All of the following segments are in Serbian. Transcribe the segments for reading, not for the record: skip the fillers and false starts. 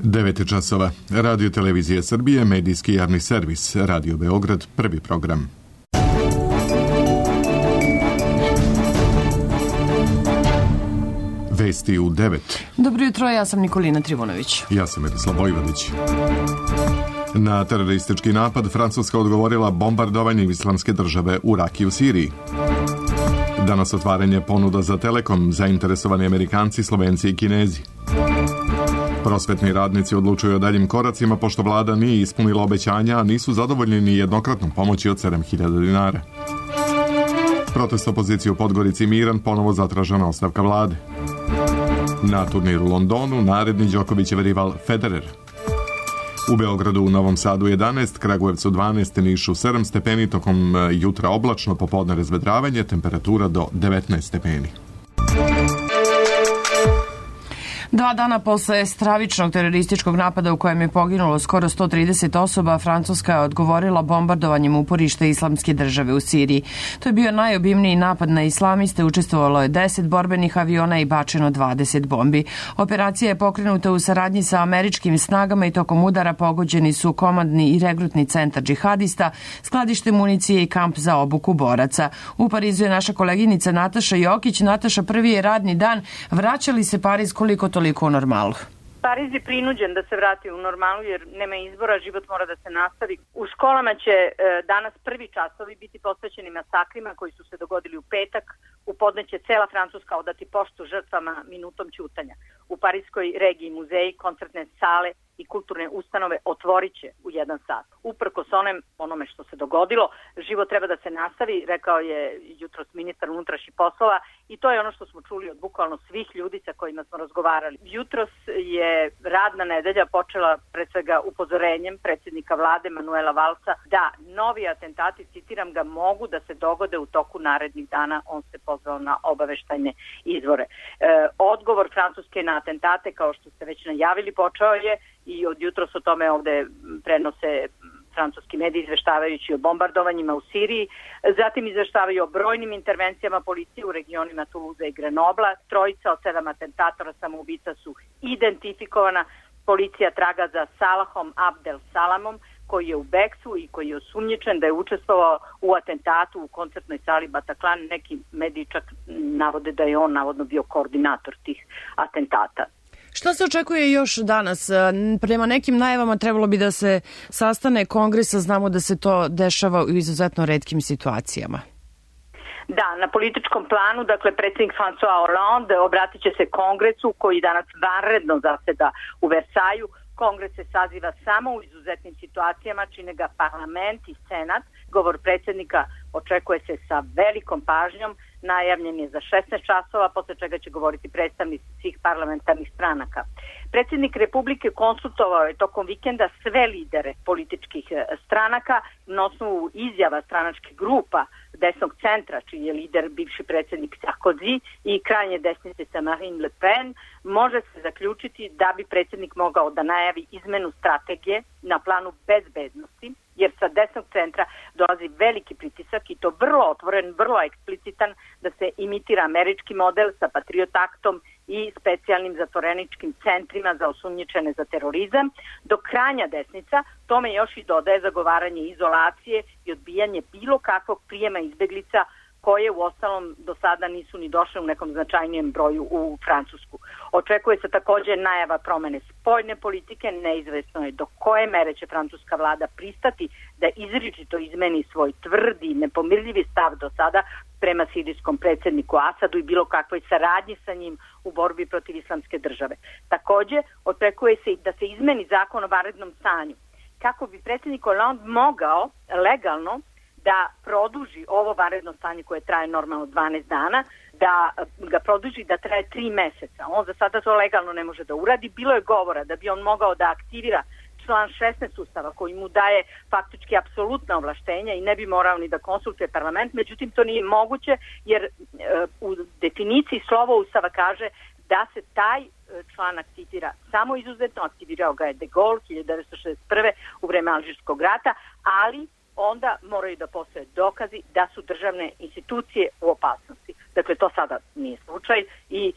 9 časova. Radio Televizije Srbije, medijski javni servis. Radio Beograd, prvi program. Vesti u 9. Dobro jutro, ja sam Nikolina Trivunović. Ja sam Edislav Vojvodić. Na teroristički napad Francuska odgovorila bombardovanjem Islamske države u Raki u Siriji. Danas otvaranje ponuda za Telekom, zainteresovani Amerikanci, Slovenci i Kinezi. Prosvetni radnici odlučuju o daljim koracima pošto vlada nije ispunila obećanja, a nisu zadovoljni ni jednokratnom pomoći od 7.000 dinara. Protest opozicije u Podgorici miran, ponovo zatražena ostavka vlade. Na turniru u Londonu naredni Đokovićev rival Federer. U Beogradu, u Novom Sadu 11, Kragujevcu 12, Nišu 7 stepeni, tokom jutra oblačno, popodne razvedravanje, temperatura do 19 stepeni. 2 dana posle stravičnog terorističkog napada u kojem je poginulo skoro 130 osoba, Francuska je odgovorila bombardovanjem uporišta Islamske države u Siriji. To je bio najobimniji napad na islamiste, učestvovalo je 10 borbenih aviona i bačeno 20 bombi. Operacija je pokrenuta u saradnji sa američkim snagama i tokom udara pogođeni su komandni i regrutni centar džihadista, skladište municije i kamp za obuku boraca. U Parizu je naša koleginica Nataša Jokić. Nataša, prvi je radni dan. Vraća li se Pariz koliko toliko u normalu? Pariz je prinuđen da se vrati u normalu jer nema izbora, život mora da se nastavi. U školama će danas prvi časovi biti posvećeni masakrima koji su se dogodili u petak. U podne će cela Francuska odati poštu žrtvama minutom ćutanja. U parijskoj regiji muzeji, koncertne sale i kulturne ustanove otvorit će u 1 sat. Uprkos onome što se dogodilo, život treba da se nastavi, rekao je jutros ministar unutrašnjih poslova, i to je ono što smo čuli od bukvalno svih ljudi sa kojima smo razgovarali. Jutros je radna nedelja počela pred svega upozorenjem predsjednika vlade Manuela Valsa da novi atentati, citiram ga, mogu da se dogode u toku narednih dana. On se pozvao na obaveštajne izvore. Odgovor Francuske na atentate, kao što ste već najavili, počeo je i od jutros o tome ovde prenose francuski mediji izveštavajući o bombardovanjima u Siriji, zatim izveštavaju o brojnim intervencijama policije u regionima Toulouse i Grenobla. 3 od 7 atentatora samoubica su identifikovana. Policija traga za Salahom Abdel Salamom, koji je u bekstvu i koji je osumnjičen da je učestvovao u atentatu u koncertnoj sali Bataclan. Neki mediji čak navode da je on navodno bio koordinator tih atentata. Šta se očekuje još danas? Prema nekim najavama trebalo bi da se sastane kongres, a znamo da se to dešava u izuzetno retkim situacijama. Da, na političkom planu, dakle, predsjednik François Hollande obratit će se kongresu koji danas vanredno zaseda u Versaju. Kongres se saziva samo u izuzetnim situacijama, čine ga parlament i senat. Govor predsjednika očekuje se sa velikom pažnjom, najavljen je za 16 časova, posle čega će govoriti predstavnici svih parlamentarnih stranaka. Predsjednik Republike konsultovao je tokom vikenda sve lidere političkih stranaka na osnovu izjava stranačkih grupa desnog centra, čiji je lider bivši predsjednik Sarkozy, i krajnje desnice sa Marine Le Pen. Može se zaključiti da bi predsjednik mogao da najavi izmenu strategije na planu bezbednosti, jer sa desnog centra dolazi veliki pritisak i to vrlo otvoren, vrlo eksplicitan, da se imitira američki model sa Patriot Actom i specijalnim zatvoreničkim centrima za osumnjičene za terorizam, dok krajnja desnica tome još i dodaje zagovaranje izolacije i odbijanje bilo kakvog prijema izbeglica koje u ostalom do sada nisu ni došle u nekom značajnijem broju u Francusku. Očekuje se također najava promene spoljne politike, neizvesno je do koje mere će francuska vlada pristati da izričito izmeni svoj tvrdi, nepomirljivi stav do sada prema sirijskom predsjedniku Asadu i bilo kakvoj saradnji sa njim u borbi protiv Islamske države. Također očekuje se i da se izmeni zakon o vanrednom stanju, kako bi predsjednik Hollande mogao legalno da produži ovo vanredno stanje koje traje normalno 12 dana, da ga produži da traje 3 meseca. On za sada to legalno ne može da uradi. Bilo je govora da bi on mogao da aktivira član 16 ustava koji mu daje faktički apsolutna ovlaštenja i ne bi morao ni da konsultuje parlament, međutim to nije moguće jer u definiciji slovo ustava kaže da se taj član aktivira samo izuzetno. Aktivirao ga je De Gaulle 1961. u vreme Alžirskog rata, ali onda moraju da postoje dokazi da su državne institucije u opasnosti. Dakle, to sada nije slučaj i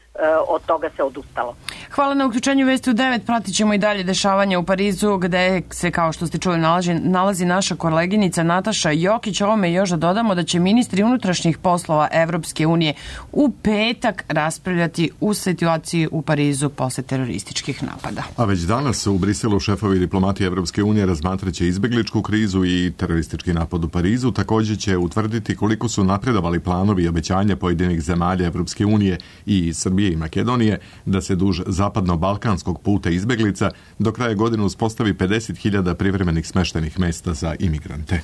od toga se odustalo. Hvala na uključenju Vesti u 9. Pratit ćemo i dalje dešavanja u Parizu, gde se, kao što ste čuli, nalazi naša koleginica Nataša Jokić. Ovome još da dodamo da će ministri unutrašnjih poslova Evropske unije u petak raspravljati u situaciji u Parizu posle terorističkih napada. A već danas u Briselu šefovi diplomatije Evropske unije razmatraće izbegličku krizu i teroristički napad u Parizu. Također će utvrditi koliko su napredovali planovi i obećanja pojedinih zemalja Evropske unije i Srbije i Makedonije da se duž zapadno-balkanskog puta izbeglica do kraja godine uspostavi 50.000 privremenih smeštenih mesta za imigrante.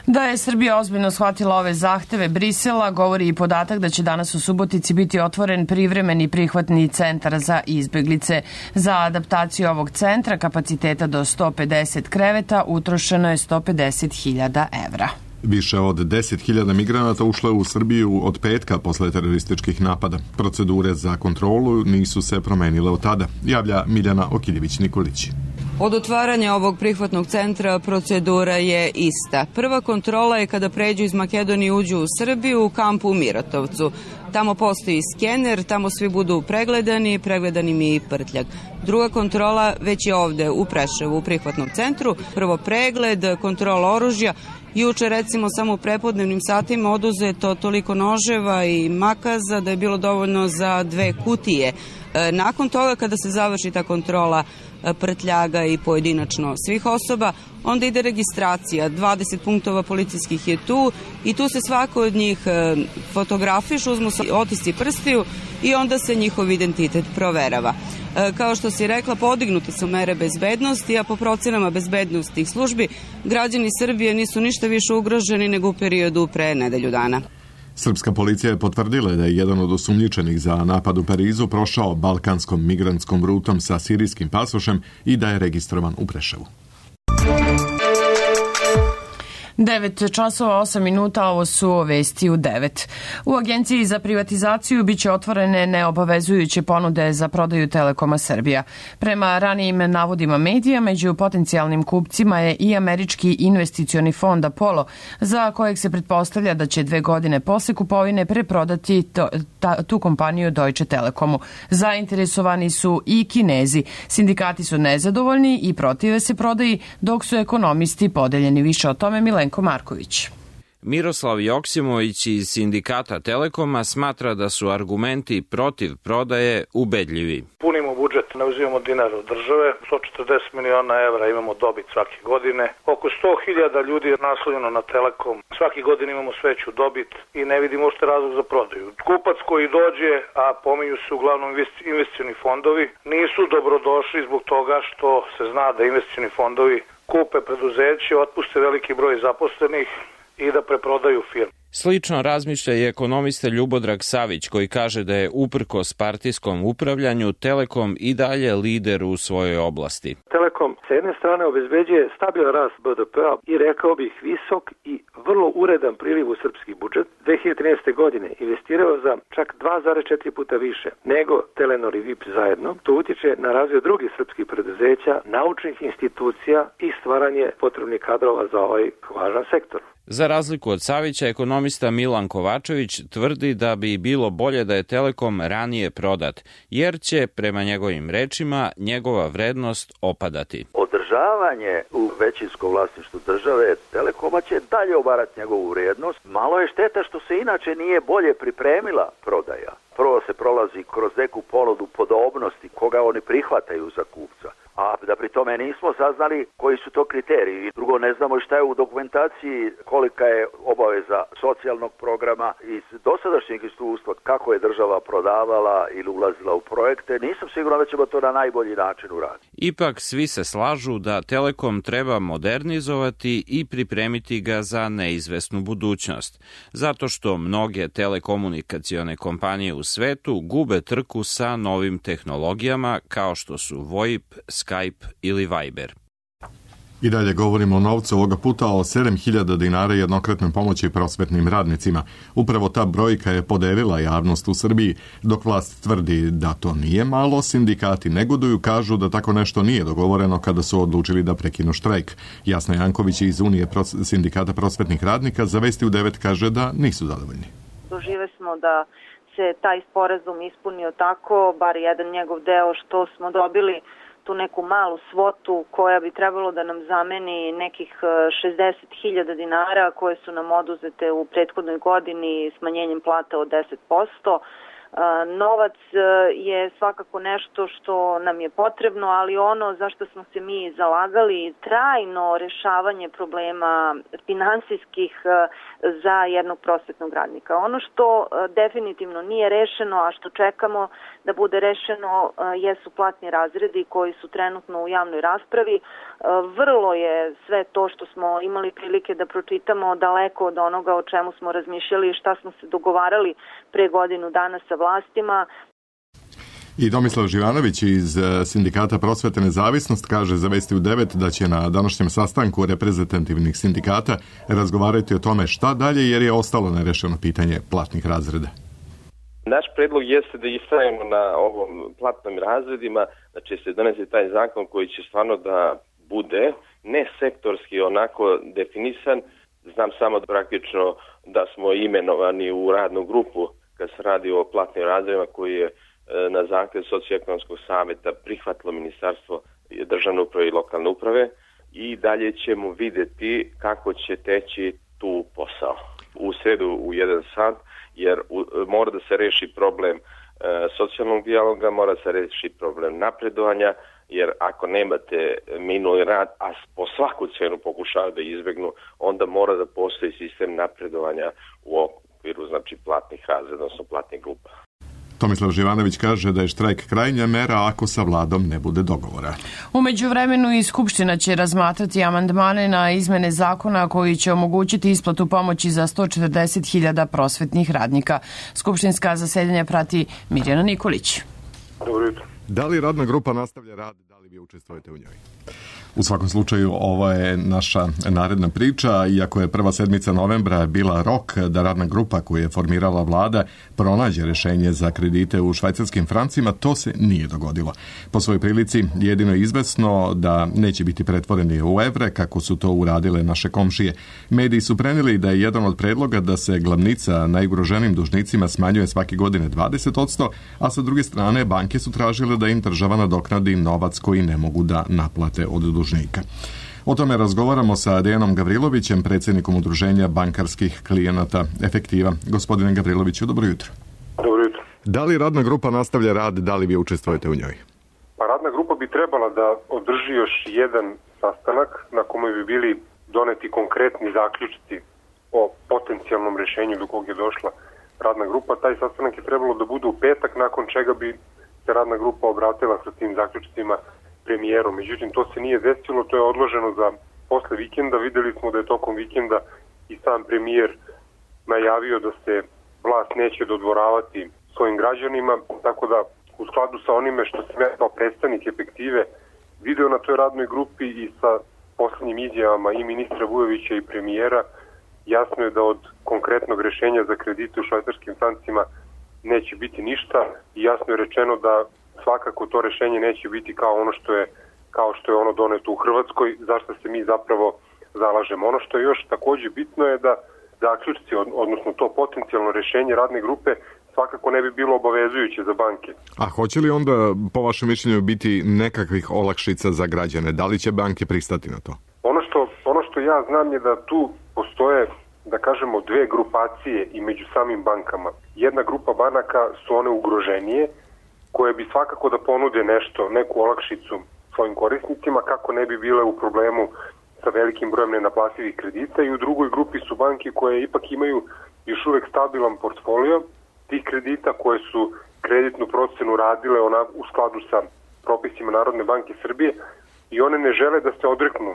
Da je Srbija ozbiljno shvatila ove zahteve Brisela, govori i podatak da će danas u Subotici biti otvoren privremeni prihvatni centar za izbeglice. Za adaptaciju ovog centra, kapaciteta do 150 kreveta, utrošeno je 150.000 evra. Više od 10.000 migranata ušlo je u Srbiju od petka posle terorističkih napada. Procedure za kontrolu nisu se promenile od tada, javlja Miljana Okiljević-Nikolić. Od otvaranja ovog prihvatnog centra procedura je ista. Prva kontrola je kada pređu iz Makedonije i uđu u Srbiju u kampu u Miratovcu. Tamo postoji skener, tamo svi budu pregledani mi i prtljag. Druga kontrola već je ovde u Preševu, u prihvatnom centru. Prvo pregled, kontrola oružja. Juče, recimo, samo u prepodnevnim satima oduzeto toliko noževa i makaza da je bilo dovoljno za 2 kutije. Nakon toga, kada se završi ta kontrola prtljaga i pojedinačno svih osoba, onda ide registracija. 20 punktova policijskih je tu i tu se svako od njih fotografiš, uzmu se otisci prstiju i onda se njihov identitet proverava. Kao što si rekla, podignute su mere bezbednosti, a po procenama bezbednostnih službi građani Srbije nisu ništa više ugroženi nego u periodu pre nedelju dana. Srpska policija je potvrdila da je jedan od osumnjičenih za napad u Parizu prošao balkanskom migrantskom rutom sa sirijskim pasošem i da je registrovan u Preševu. 9:08, ovo su Vesti u 9. U Agenciji za privatizaciju biće otvorene neobavezujuće ponude za prodaju Telekoma Srbija. Prema ranijim navodima medija, među potencijalnim kupcima je i američki investicioni fond Apollo, za kojeg se pretpostavlja da će 2 godine posle kupovine preprodati tu kompaniju Deutsche Telekomu. Zainteresovani su i Kinezi. Sindikati su nezadovoljni i protive se prodaji, dok su ekonomisti podeljeni. Više o tome Milenko Marković. Miroslav Joksimović iz sindikata Telekoma smatra da su argumenti protiv prodaje ubedljivi. Punimo budžet, ne uzimamo dinar od države, 140 miliona evra imamo dobit svake godine. Oko 100.000 ljudi je naslonjeno na Telekom. Svake godine imamo sveću dobit i ne vidimo uopšte razlog za prodaju. Kupac koji dođe, a pominju se uglavnom investicioni fondovi, nisu dobrodošli zbog toga što se zna da investicioni fondovi kupe preduzeće, otpuste veliki broj zaposlenih i da preprodaju firmu. Slično razmišlja i ekonomista Ljubodrag Savić, koji kaže da je uprkos partijskom upravljanju Telekom i dalje lider u svojoj oblasti. Telekom sa jedne strane obezbeđuje stabilan rast BDP-a i rekao bih visok i vrlo uredan priliv u srpski budžet. 2013. godine investirao za čak 2,4 puta više nego Telenor i VIP zajedno. To utiče na razvoj drugih srpskih preduzeća, naučnih institucija i stvaranje potrebnih kadrova za ovaj važan sektor. Za razliku od Savića, ekonomista Milan Kovačević tvrdi da bi bilo bolje da je Telekom ranije prodat, jer će, prema njegovim rečima, njegova vrednost opadati. Održavanje u većinskom vlasništvu države Telekoma će dalje obarati njegovu vrijednost. Malo je šteta što se inače nije bolje pripremila prodaja. Prvo se prolazi kroz neku ponudu podobnosti koga oni prihvataju za kupca, a da pri tome nismo saznali koji su to kriteriji. Drugo, ne znamo šta je u dokumentaciji, kolika je obaveza socijalnog programa iz dosadašnjeg iskustva, kako je država prodavala ili ulazila u projekte. Nisam siguran da ćemo to na najbolji način uraditi. Ipak svi se slažu da Telekom treba modernizovati i pripremiti ga za neizvesnu budućnost, zato što mnoge telekomunikacione kompanije u svetu gube trku sa novim tehnologijama kao što su VoIP, Skype ili Viber. I dalje govorimo o novcu, ovoga puta o 7.000 dinara jednokratnoj pomoći prosvetnim radnicima. Upravo ta brojka je podelila javnost u Srbiji. Dok vlast tvrdi da to nije malo, sindikati negoduju, kažu da tako nešto nije dogovoreno kada su odlučili da prekinu štrajk. Jasna Janković iz Unije sindikata prosvetnih radnika za Vesti u 9 kaže da nisu zadovoljni. Doživeli smo da se taj sporazum ispunio tako, bar jedan njegov deo, što smo dobili tu neku malu svotu koja bi trebalo da nam zameni nekih 60.000 dinara koje su nam oduzete u prethodnoj godini smanjenjem plata od 10%. Novac je svakako nešto što nam je potrebno, ali ono za što smo se mi zalagali, trajno rešavanje problema finansijskih za jednog prosvetnog radnika. Ono što definitivno nije rešeno, a što čekamo da bude rešeno, jesu platni razredi koji su trenutno u javnoj raspravi. Vrlo je sve to što smo imali prilike da pročitamo daleko od onoga o čemu smo razmišljali i šta smo se dogovarali pre godinu dana sa vlastima. I Tomislav Živanović iz Sindikata Prosvete Nezavisnost kaže za Vesti u 9 da će na današnjem sastanku reprezentativnih sindikata razgovarati o tome šta dalje jer je ostalo nerešeno pitanje platnih razreda. Naš predlog jeste da istrajemo na ovom platnim razredima, da će se doneti taj zakon koji će stvarno da bude ne sektorski onako definisan. Znam samo da praktično da smo imenovani u radnu grupu kad se radi o platnim razredima koji je na zahtjev Socioekonomskog saveta prihvatilo Ministarstvo državne uprave i lokalne uprave i dalje ćemo vidjeti kako će teći tu posao. U sredu u 1 sat, jer mora da se reši problem socijalnog dijaloga, mora se reši problem napredovanja, jer ako nemate minuli rad, a po svaku cenu pokušavaju da izbjegnu, onda mora da postoji sistem napredovanja u okviru platnih razreda, odnosno platnih grupa. Tomislav Živanović kaže da je štrajk krajnja mera ako sa vladom ne bude dogovora. U međuvremenu i Skupština će razmatrati amandmane na izmene zakona koji će omogućiti isplatu pomoći za 140.000 prosvetnih radnika. Skupštinska zasedanja prati Mirjana Nikolić. Dobro jutro. Da li radna grupa nastavlja rad, da li vi učestvujete u njoj? U svakom slučaju, ovo je naša naredna priča. Iako je prva sedmica novembra bila rok da radna grupa koju je formirala vlada pronađe rešenje za kredite u švajcarskim francima, to se nije dogodilo. Po svojoj prilici jedino je izvesno da neće biti pretvoreni u evre, kako su to uradile naše komšije. Mediji su prenijeli da je jedan od predloga da se glavnica najugroženijim dužnicima smanjuje svake godine 20%, a sa druge strane banke su tražile da im država nadoknadi novac koji ne mogu da naplate od dužnika. O tome razgovaramo sa Dejanom Gavrilovićem, predsjednikom Udruženja bankarskih klijenata Efektiva. Gospodine Gavriloviću, dobro jutro. Dobro jutro. Da li radna grupa nastavlja rad, da li vi učestvujete u njoj? Pa radna grupa bi trebala da održi još jedan sastanak na kome bi bili doneti konkretni zaključci o potencijalnom rešenju do kog je došla radna grupa. Taj sastanak je trebalo da bude u petak, nakon čega bi se radna grupa obratila sa tim zaključcima premijerom. Međutim, to se nije desilo, to je odloženo za posle vikenda. Videli smo da je tokom vikenda i sam premijer najavio da se vlast neće dodvoravati svojim građanima, tako da u skladu sa onime što sam ja kao predstavnik Efektive video na toj radnoj grupi i sa poslednjim izjavama i ministra Vujovića i premijera, jasno je da od konkretnog rešenja za kredite u švajcarskim francima neće biti ništa i jasno je rečeno da svakako to rešenje neće biti kao što je ono doneto u Hrvatskoj, zašto se mi zapravo zalažemo. Ono što je još takođe bitno je da zaključci, odnosno to potencijalno rešenje radne grupe svakako ne bi bilo obavezujuće za banke. A hoće li onda, po vašem mišljenju, biti nekakvih olakšica za građane? Da li će banke pristati na to? Ono što ja znam je da tu postoje, da kažemo, dve grupacije i među samim bankama. Jedna grupa banaka su one ugroženije, koje bi svakako da ponude nešto, neku olakšicu svojim korisnicima kako ne bi bile u problemu sa velikim brojem nenaplativih kredita, i u drugoj grupi su banke koje ipak imaju još uvek stabilan portfolio tih kredita, koje su kreditnu procenu radile u skladu sa propisima Narodne banke Srbije i one ne žele da se odreknu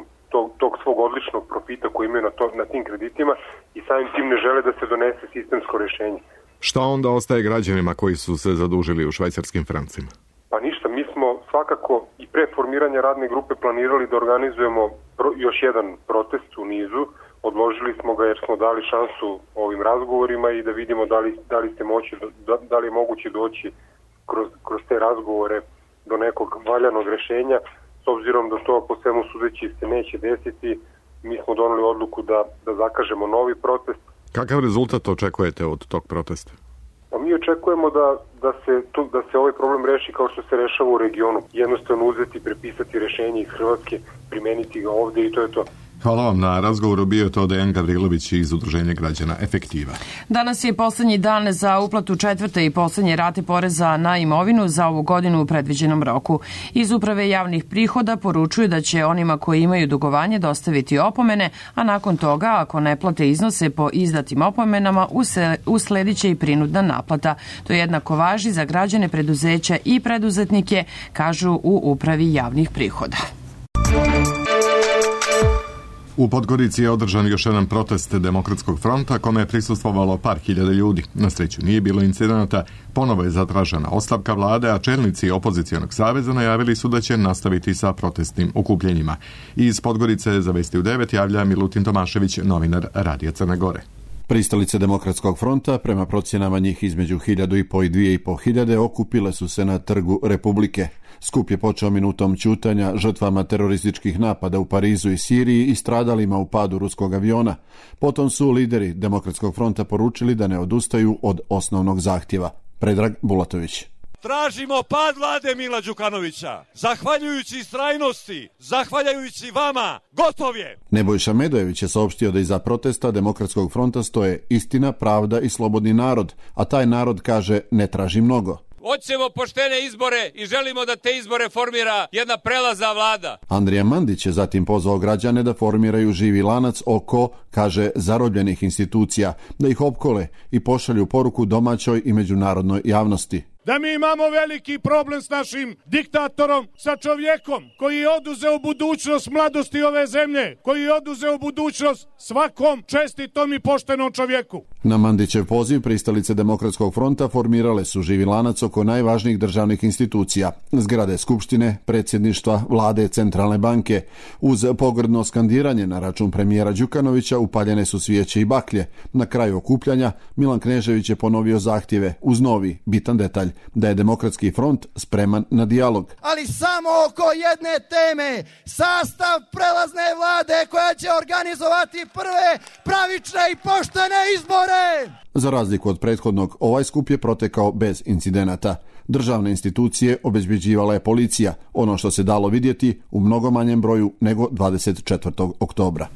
tog svog odličnog profita koji imaju na tim kreditima i samim tim ne žele da se donese sistemsko rešenje. Šta onda ostaje građanima koji su se zadužili u švajcarskim francima? Pa ništa, mi smo svakako i pre formiranja radne grupe planirali da organizujemo još jedan protest u nizu. Odložili smo ga jer smo dali šansu ovim razgovorima i da vidimo da li je moguće doći kroz te razgovore do nekog valjanog rešenja. S obzirom da to po svemu sudeći se neće desiti, mi smo doneli odluku da zakažemo novi protest. Kakav rezultat očekujete od tog protesta? Pa mi očekujemo da se ovaj problem reši kao što se rešava u regionu. Jednostavno uzeti, prepisati rešenje iz Hrvatske, primeniti ga ovde i to je to. Hvala vam na razgovoru, bio to Dejan Gavrilović iz Udruženja građana Efektiva. Danas je poslednji dan za uplatu četvrte i poslednje rate poreza na imovinu za ovu godinu u predviđenom roku. Iz Uprave javnih prihoda poručuju da će onima koji imaju dugovanje dostaviti opomene, a nakon toga, ako ne plate iznose po izdatim opomenama, usledit će i prinudna naplata. To jednako važi za građane, preduzeća i preduzetnike, kažu u Upravi javnih prihoda. U Podgorici je održan još jedan protest Demokratskog fronta kome je prisustvovalo par hiljada ljudi. Na sreću nije bilo incidenata, ponovo je zatražena ostavka vlade, a čelnici opozicionog saveza najavili su da će nastaviti sa protestnim okupljenjima. Iz Podgorice za Vesti u 9 javlja Milutin Tomašević, novinar Radija Crne Gore. Pristalice Demokratskog fronta, prema procjenama njih između 1.500 i 2.500, okupile su se na Trgu Republike. Skup je počeo minutom ćutanja žrtvama terorističkih napada u Parizu i Siriji i stradalima u padu ruskog aviona. Potom su lideri Demokratskog fronta poručili da ne odustaju od osnovnog zahtjeva. Predrag Bulatović. Tražimo pad vlade Mila Đukanovića. Zahvaljujući istrajnosti, zahvaljujući vama, gotov je! Nebojša Medojević je saopštio da iza protesta Demokratskog fronta stoje istina, pravda i slobodni narod, a taj narod kaže ne traži mnogo. Hoćemo poštene izbore i želimo da te izbore formira jedna prelazna vlada. Andrija Mandić je zatim pozvao građane da formiraju živi lanac oko, kaže, zarobljenih institucija, da ih opkole i pošalju poruku domaćoj i međunarodnoj javnosti. Da mi imamo veliki problem s našim diktatorom, sa čovjekom koji je oduzeo budućnost mladosti ove zemlje, koji je oduzeo budućnost svakom čestitom i poštenom čovjeku. Na Mandićev poziv pristalice Demokratskog fronta formirale su živi lanac oko najvažnijih državnih institucija, zgrade Skupštine, predsjedništva, vlade, centralne banke. Uz pogrdno skandiranje na račun premijera Đukanovića upaljene su svijeće i baklje. Na kraju okupljanja Milan Knežević je ponovio zahtjeve uz novi, bitan detalj, da je Demokratski front spreman na dijalog. Ali samo oko jedne teme, sastav prelazne vlade koja će organizovati prve pravične i poštene izbore. Za razliku od prethodnog, ovaj skup je protekao bez incidenata. Državne institucije obezbeđivala je policija, ono što se dalo vidjeti u mnogo manjem broju nego 24. oktobra.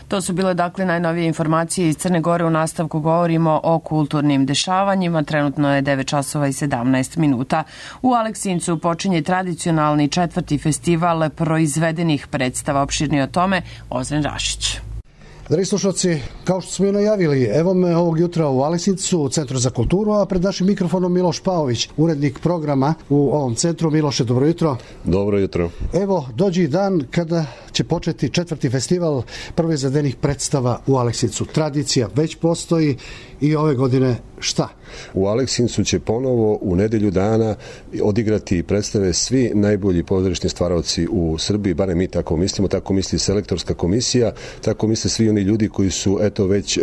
To su bile dakle najnovije informacije iz Crne Gore. U nastavku govorimo o kulturnim dešavanjima. Trenutno je 9 časova i 17 minuta. U Aleksincu počinje tradicionalni 4. festival proizvedenih predstava. Opširnije o tome Ozren Rašić. Dragi slušalci, kao što smo i najavili, evo me ovog jutra u Aleksincu, u Centru za kulturu, a pred našim mikrofonom Miloš Paović, urednik programa u ovom centru. Miloše, dobro jutro. Dobro jutro. Evo, dođe dan kada će početi 4. festival proizvedenih predstava u Aleksincu. Tradicija već postoji i ove godine šta? U Aleksincu će ponovo u nedelju dana odigrati predstave svi najbolji pozorišni stvaraoci u Srbiji, barem mi tako mislimo, tako misli selektorska komisija, tako misle svi oni ljudi koji su već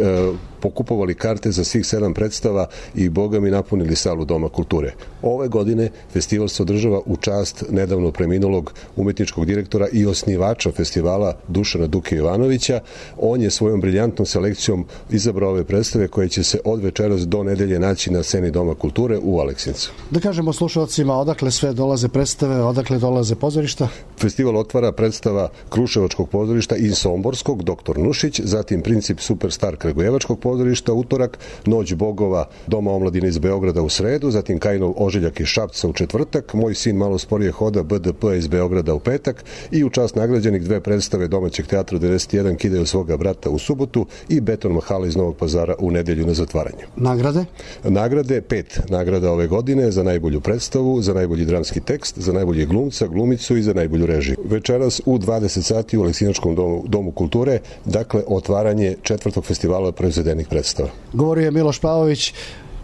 pokupovali karte za svih 7 predstava i boga mi napunili salu Doma kulture. Ove godine festival se održava u čast nedavno preminulog umetničkog direktora i osnivača festivala Dušana Duke Jovanovića. On je svojom briljantnom selekcijom izabrao ove predstave koje će se od večeras do nedelje naći na sceni Doma kulture u Aleksincu. Da kažemo slušalcima odakle sve dolaze predstave, odakle dolaze pozorišta? Festival otvara predstava Kruševačkog pozorišta i Somborskog, Doktor Nušić, zatim Princip Superstar Kragujevačkog pozorišta utorak, Noć bogova Doma omladine iz Beograda u sredu, zatim Kajinov Ožiljak iz Šapca u četvrtak, Moj sin malo sporije hoda BDP iz Beograda u petak i u čast nagrađenih 2 predstave domaćeg teatra 91 Kidaju svoga brata u subotu i Beton Mahala iz Novog Pazara u nedelju na zatvaranju. Nagrade? Nagrade, 5 nagrada ove godine za najbolju predstavu, za najbolji dramski tekst, za najbolji glumca, glumicu i za najbolju režiju. Večeras u 20 sati u Aleksinačkom domu kulture, dakle otvaranje 4. festivala proizvedenih predstava. Govorio je Miloš Pavović,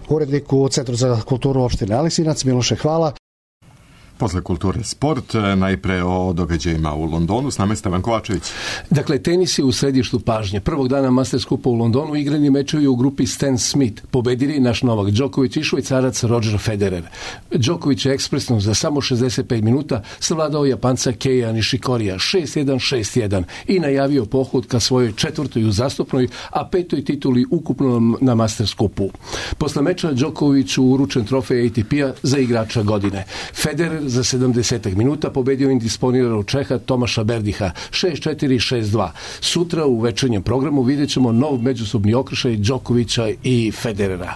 urednik u Centru za kulturu opštine Aleksinac. Miloše, hvala. Posle kulture sport, najpre o događajima u Londonu, s nama je Stevan Kovačević. Dakle, tenis je u središtu pažnje. Prvog dana Masters Kupa u Londonu igrani mečevi u grupi Stan Smith. Pobedili naš Novak Đoković i Švajcarac Roger Federer. Đoković je ekspresno za samo 65 minuta savladao Japanca Keija Nishikorija 6-1, 6-1 i najavio pohod ka svojoj četvrtoj uzastopnoj, a petoj tituli ukupno na Masters Kupu. Posle meča Đokoviću uručen trofej ATP-a za igrača godine. Federer za 70 minuta pobedio indisponiranog Čeha Tomaša Berdiha 6-4, 6-2. Sutra u večernjem programu vidjet ćemo nov međusobni okršaj Đokovića i Federera.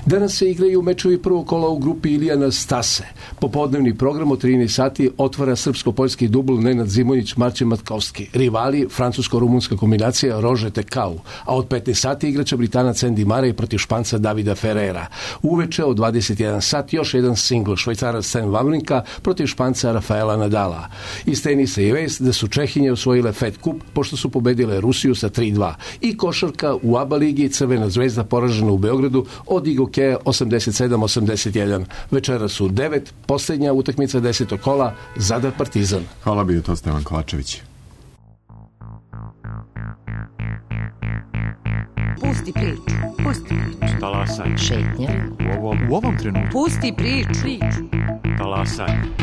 Danas se igraju mečevi prvog kola u grupi Ilijana Stase. Popodnevni program od 13 sati otvara srpsko-poljski dubl Nenad Zimonjić, Marcin Matkovski. Rivali francusko-rumunska kombinacija Rože Tekau, a od 15 sati igraće Britanac Andy Murray protiv Španca Davida Ferrera. Uveče od 21 sat još jedan singl, Švajcarac Stan Wawrinka protiv Španca Rafaela Nadala. Iz tenisa je vest da su Čehinje osvojile Fed Cup pošto su pobedile Rusiju sa 3-2. I košarka u ABA ligi Crvena zvezda poražena u Beogradu od Igokeja 87-81. Večera su 9, posljednja utakmica 10. kola, Zadar Partizan. Hvala, bio to Stevan Kovačević. Pusti priču. Pusti priču. Talasaj. Šetnja. U ovom trenutku. Pusti priču. Talasaj.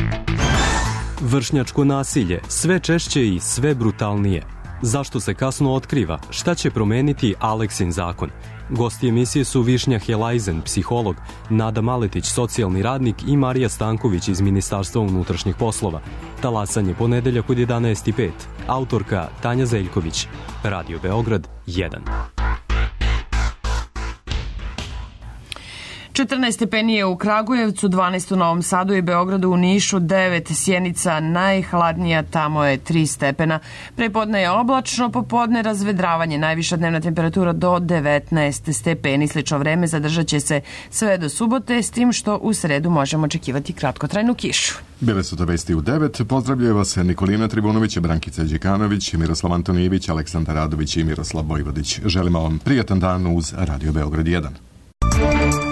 Vršnjačko nasilje, sve češće i sve brutalnije. Zašto se kasno otkriva? Šta će promeniti Aleksin zakon? Gosti emisije su Višnja Helajzen, psiholog, Nada Maletić, socijalni radnik i Marija Stanković iz Ministarstva unutrašnjih poslova. Talasanje ponedeljak od 11:05. Autorka Tanja Zeljković. Radio Beograd 1. 14 stepeni je u Kragujevcu, 12 u Novom Sadu i Beogradu, u Nišu 9, Sjenica najhladnija, tamo je 3 stepena. Prepodne je oblačno, popodne razvedravanje, najviša dnevna temperatura do 19 stepeni. Slično vreme zadržat će se sve do subote, s tim što u sredu možemo očekivati kratkotrajnu kišu. Bile su to vesti u 9. Pozdravljaju vas Nikolina Tribunović, Brankica Đekanović, Miroslav Antonijević, Aleksandar Radović i Miroslav Vojvodić. Želimo vam prijatan dan uz Radio Beograd 1.